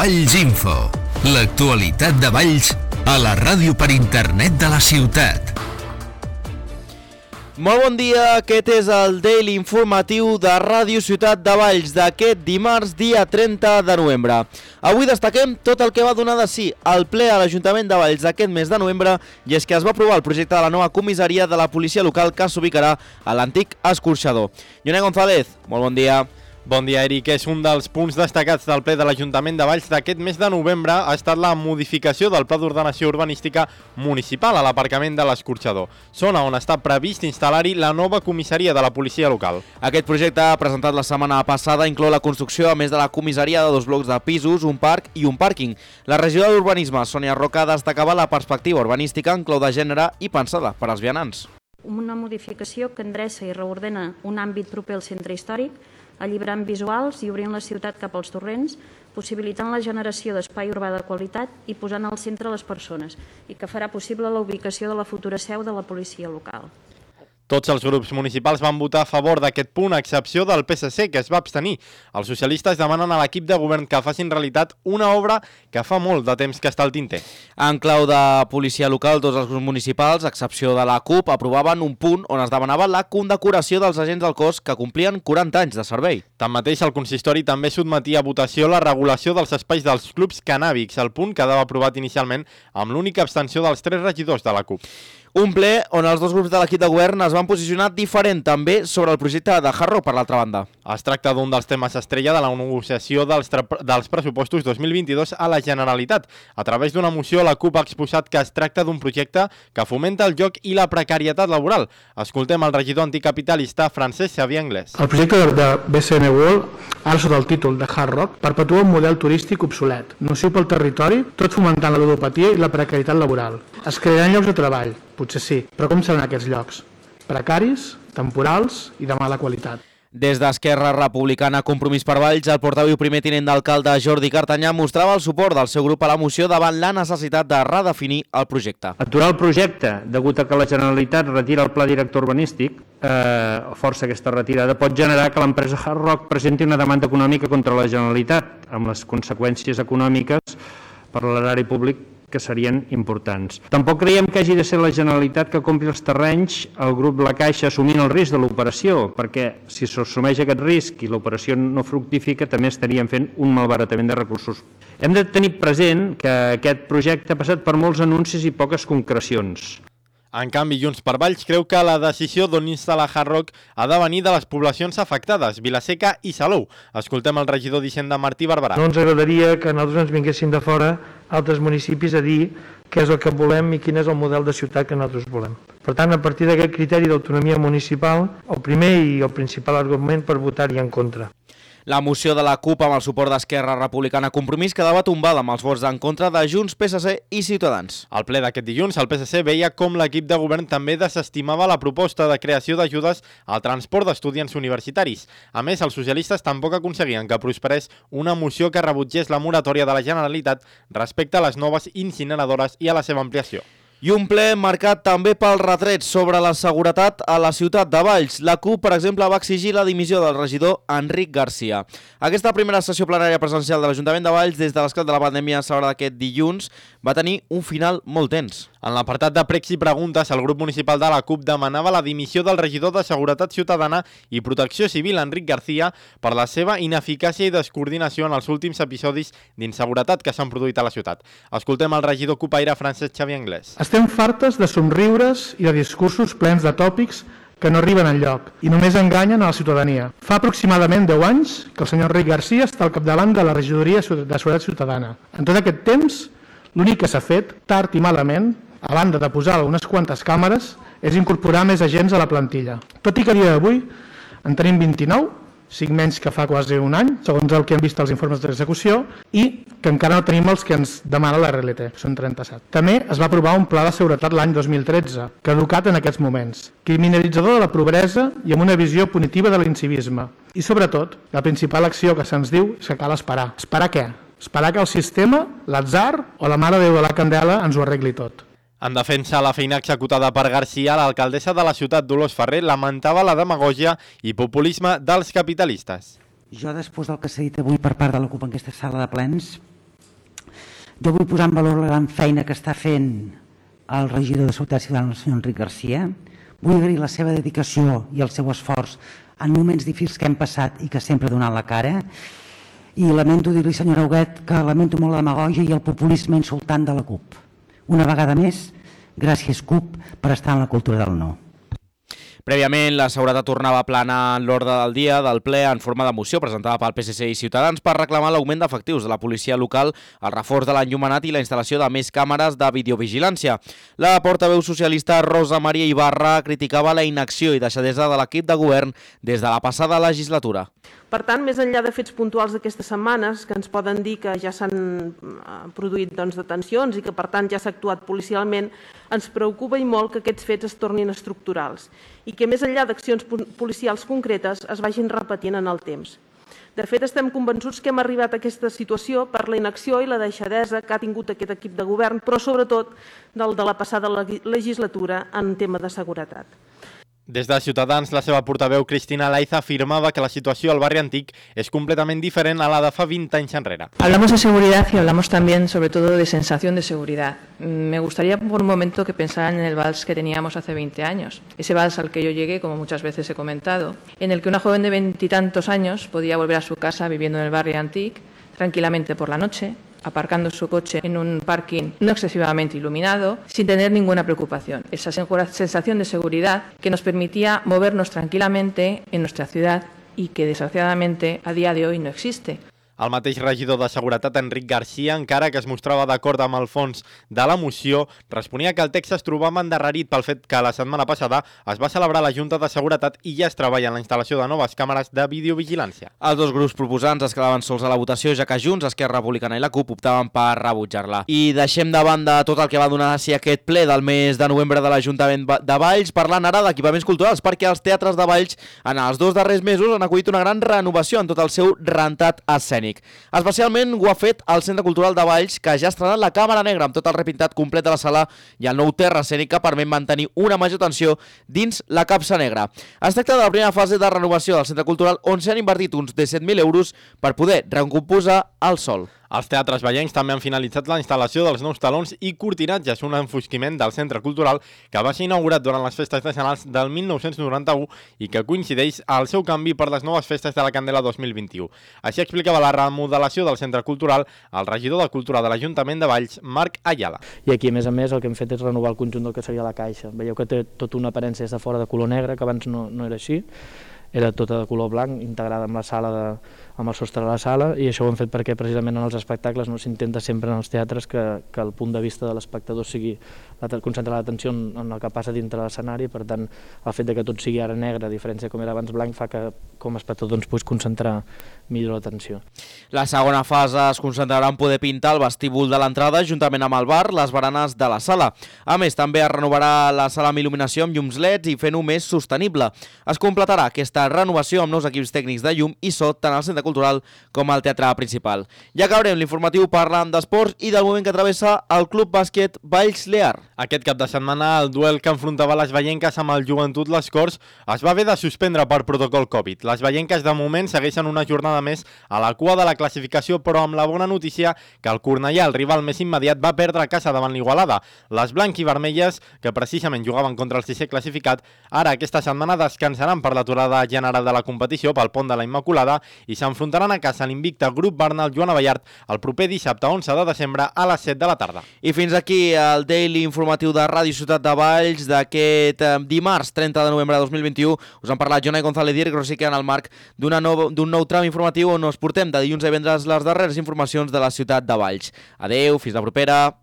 Valls Info, l'actualitat de Valls a la ràdio per internet de la ciutat. Molt bon dia, aquest és el Daily Informatiu de Ràdio Ciutat de Valls d'aquest dimarts, dia 30 de novembre. Avui destaquem tot el que va donar de si al ple a l'Ajuntament de Valls d'aquest mes de novembre, i és que es va aprovar el projecte de la nova comissaria de la policia local que s'ubicarà a l'antic escorxador. Lloné González, molt bon dia. Bon dia, Eric. És un dels punts destacats del ple de l'Ajuntament de Valls d'aquest mes de novembre ha estat la modificació del Pla d'Ordenació Urbanística Municipal a l'aparcament de l'Escorxador, zona on està previst instal·lar-hi la nova comissaria de la policia local. Aquest projecte, presentat la setmana passada, inclou la construcció, a més de la comissaria, de 2 blocs de pisos, un parc i un pàrquing. La regidora d'Urbanisme, Sònia Roca, destacava la perspectiva urbanística en clau de gènere i pensada per als vianants. Una modificació que endreça i reordena un àmbit proper al centre històric, alliberant visuals i obrint la ciutat cap als torrents, possibilitant la generació d'espai urbà de qualitat i posant al centre les persones, i que farà possible la ubicació de la futura seu de la policia local. Tots els grups municipals van votar a favor d'aquest punt, a excepció del PSC, que es va abstenir. Els socialistes demanen a l'equip de govern que facin realitat una obra que fa molt de temps que està al tinter. En clau de policia local, tots els grups municipals, a excepció de la CUP, aprovaven un punt on es demanava la condecoració dels agents del cos que complien 40 anys de servei. Tanmateix, el consistori també sotmetia a votació la regulació dels espais dels clubs cannàbics, el punt quedava aprovat inicialment amb l'única abstenció dels 3 regidors de la CUP. Un ple on els dos grups de l'equip de govern es van posicionar diferent també sobre el projecte de Hard Rock, per l'altra banda. Es tracta d'un dels temes estrella de la negociació dels pressupostos 2022 a la Generalitat. A través d'una moció, la CUP ha exposat que es tracta d'un projecte que fomenta el joc i la precarietat laboral. Escoltem el regidor anticapitalista Francesc Xavier Anglès. El projecte de BCN World, ara sota el títol de Hard Rock, perpetua un model turístic obsolet, nociu pel territori, tot fomentant la ludopatia i la precarietat laboral. Es crearan llocs de treball, potser sí, però com seran aquests llocs? Precaris, temporals i de mala qualitat. Des d'Esquerra Republicana Compromís per Valls, el portaveu primer tinent d'alcalde Jordi Cartanyà mostrava el suport del seu grup a la moció davant la necessitat de redefinir el projecte. Aturar el projecte, degut a que la Generalitat retira el pla director urbanístic, força aquesta retirada, pot generar que l'empresa Hard Rock presenti una demanda econòmica contra la Generalitat, amb les conseqüències econòmiques per l'erari públic que serien importants. Tampoc creiem que hagi de ser la Generalitat que compri els terrenys, el grup La Caixa assumint el risc de l'operació, perquè si s'assumeix aquest risc i l'operació no fructifica, també estaríem fent un malbaratament de recursos. Hem de tenir present que aquest projecte ha passat per molts anuncis i poques concrecions. En canvi, Junts per Valls creu que la decisió d'on instal·lar Hard Rock ha de venir de les poblacions afectades, Vilaseca i Salou. Escoltem el regidor d'Hisenda Martí Barberà. No ens agradaria que nosaltres ens vinguessin de fora altres municipis a dir què és el que volem i quin és el model de ciutat que nosaltres volem. Per tant, a partir d'aquest criteri d'autonomia municipal, el primer i el principal argument per votar-hi en contra. La moció de la CUP amb el suport d'Esquerra Republicana Compromís quedava tombada amb els vots en contra de Junts, PSC i Ciutadans. Al ple d'aquest dilluns, el PSC veia com l'equip de govern també desestimava la proposta de creació d'ajudes al transport d'estudiants universitaris. A més, els socialistes tampoc aconseguien que prosperés una moció que rebutgés la moratòria de la Generalitat respecte a les noves incineradores i a la seva ampliació. I un ple marcat també pel retret sobre la seguretat a la ciutat de Valls. La CUP, per exemple, va exigir la dimissió del regidor Enric Garcia. Aquesta primera sessió plenària presencial de l'Ajuntament de Valls des de l'esclat de la pandèmia celebrada aquest dilluns va tenir un final molt tens. En l'apartat de pregs i preguntes, el grup municipal de la CUP demanava la dimissió del regidor de Seguretat Ciutadana i Protecció Civil, Enric Garcia, per la seva ineficàcia i descoordinació en els últims episodis d'inseguretat que s'han produït a la ciutat. Escoltem el regidor cupaire Francesc Xavier Anglès. Estem fartes de somriures i de discursos plens de tòpics que no arriben enlloc i només enganyen a la ciutadania. Fa aproximadament 10 anys que el senyor Enric Garcia està al capdavant de la regidoria de Seguretat Ciutadana. En tot aquest temps, l'únic que s'ha fet, tard i malament, a banda de posar unes quantes càmeres, és incorporar més agents a la plantilla. Tot i que a dia d'avui en tenim 29, 5 menys que fa quasi un any, segons el que hem vist als informes d'execució, i que encara no tenim els que ens demana la RLT, són 37. També es va aprovar un pla de seguretat l'any 2013, caducat en aquests moments, criminalitzador de la pobresa i amb una visió punitiva de l'incivisme. I sobretot, la principal acció que se'ns diu és que cal esperar. Esperar què? Esperar que el sistema, l'atzar o la Mare de Déu de la Candela ens ho arregli tot. En defensa de la feina executada per Garcia, l'alcaldessa de la ciutat, Dolors Ferrer, lamentava la demagògia i populisme dels capitalistes. Jo, després del que s'ha dit avui per part de la CUP en aquesta sala de plens, Jo vull posar en valor la gran feina que està fent el regidor de Seguretat Ciutadana, el senyor Enric Garcia. Vull agrair la seva dedicació i el seu esforç en moments difícils que hem passat i que sempre ha donat la cara. I lamento dir-li, senyora Huguet, que lamento molt la demagògia i el populisme insultant de la CUP. Una vegada més, gràcies CUP per estar en la cultura del no. Prèviament, la seguretat tornava a planar en l'ordre del dia del ple en forma de moció presentada pel PSC i Ciutadans per reclamar l'augment d'efectius de la policia local, el reforç de l'enllumenat i la instal·lació de més càmeres de videovigilància. La portaveu socialista Rosa Maria Ibarra criticava la inacció i deixadesa de l'equip de govern des de la passada legislatura. Per tant, més enllà de fets puntuals d'aquestes setmanes, que ens poden dir que ja s'han produït detencions i que, per tant, ja s'ha actuat policialment, ens preocupa i molt que aquests fets es tornin estructurals i que, més enllà d'accions policials concretes, es vagin repetint en el temps. De fet, estem convençuts que hem arribat a aquesta situació per la inacció i la deixadesa que ha tingut aquest equip de govern, però sobretot del de la passada legislatura en tema de seguretat. Des de Ciutadans, la seva portaveu Cristina Laiza afirmava que la situació al barri antic és completament diferent a la de fa 20 anys enrere. Hablamos de seguridad y hablamos también, sobre todo, de sensación de seguridad. Me gustaría por un momento que pensaran en el vals que teníamos hace 20 años. Ese vals al que yo llegué, como muchas veces he comentado, en el que una joven de 20 y tantos años podía volver a su casa viviendo en el barrio antic tranquilamente por la noche, aparcando su coche en un parking no excesivamente iluminado, sin tener ninguna preocupación. Esa sensación de seguridad que nos permitía movernos tranquilamente en nuestra ciudad y que desgraciadamente a día de hoy no existe. El mateix regidor de Seguretat, Enric Garcia, encara que es mostrava d'acord amb el fons de la moció, responia que el text es trobava endarrerit pel fet que la setmana passada es va celebrar la Junta de Seguretat i ja es treballa en la instal·lació de noves càmeres de videovigilància. Els dos grups proposants es quedaven sols a la votació, ja que Junts, Esquerra Republicana i la CUP optaven per rebutjar-la. I deixem de banda tot el que va donar si aquest ple del mes de novembre de l'Ajuntament de Valls, parlant ara d'equipaments culturals, perquè els teatres de Valls en els 2 darrers mesos han acollit una gran renovació en tot el seu rentat escènic. Especialment ho ha fet el Centre Cultural de Valls, que ja ha estrenat la càmera negra amb tot el repintat complet de la sala i el nou terra escènic que permet mantenir una major tensió dins la capsa negra. Es tracta de la primera fase de renovació del Centre Cultural, on s'han invertit uns 17.000 euros per poder recomposar el sòl. Els teatres vallencs també han finalitzat la instal·lació dels nous talons i cortinatges, un enfosquiment del Centre Cultural que va ser inaugurat durant les festes nacionals del 1991 i que coincideix al seu canvi per les noves festes de la Candela 2021. Així explicava la remodelació del Centre Cultural el regidor de Cultura de l'Ajuntament de Valls, Marc Ayala. I aquí, a més, el que hem fet és renovar el conjunt del que seria la caixa. Veieu que té tota una aparença des de fora de color negre, que abans no era així. Era tota de color blanc, integrada amb la sala amb el sostre de la sala, i això ho hem fet perquè precisament en els espectacles no s'intenta sempre en els teatres que el punt de vista de l'espectador sigui concentrar l'atenció en el que passa dintre l'escenari. Per tant, el fet que tot sigui ara negre, a diferència com era abans blanc, fa que com a espectador doncs, puguis concentrar millor l'atenció. La segona fase es concentrarà en poder pintar el vestíbul de l'entrada juntament amb el bar, les baranes de la sala. A més, també es renovarà la sala amb il·luminació amb llums LEDs i fent-ho més sostenible. Es completarà aquesta renovació amb nous equips tècnics de llum i so tant al Centre Cultural com al Teatre Principal. I acabarem l'informatiu parlant d'esports i del moment que travessa el Club Bàsquet Valls Lear. Aquest cap de setmana el duel que enfrontava les vallenques amb el Joventut Les Corts es va haver de suspendre per protocol Covid. Les vallenques de moment segueixen una jornada més a la cua de la classificació, però amb la bona notícia que el Cornellà, el rival més immediat, va perdre a casa davant l'Igualada. Les blanc-i-vermelles, que precisament jugaven contra el 6è classificat, ara aquesta setmana descansaran per l'aturada general de la competició pel pont de la Immaculada i s'enfrontaran a casa l'invicte Grup Bernal Joan Abellart el proper dissabte 11 de desembre a les 7 de la tarda. I fins aquí el Daily Informatiu de Ràdio Ciutat de Valls d'aquest dimarts 30 de novembre de 2021. Us han parlat Jonai González i Eric Rosique en el marc d'un nou tram informatiu on us portem de dilluns a divendres les darreres informacions de la ciutat de Valls. Adeu, fins la propera.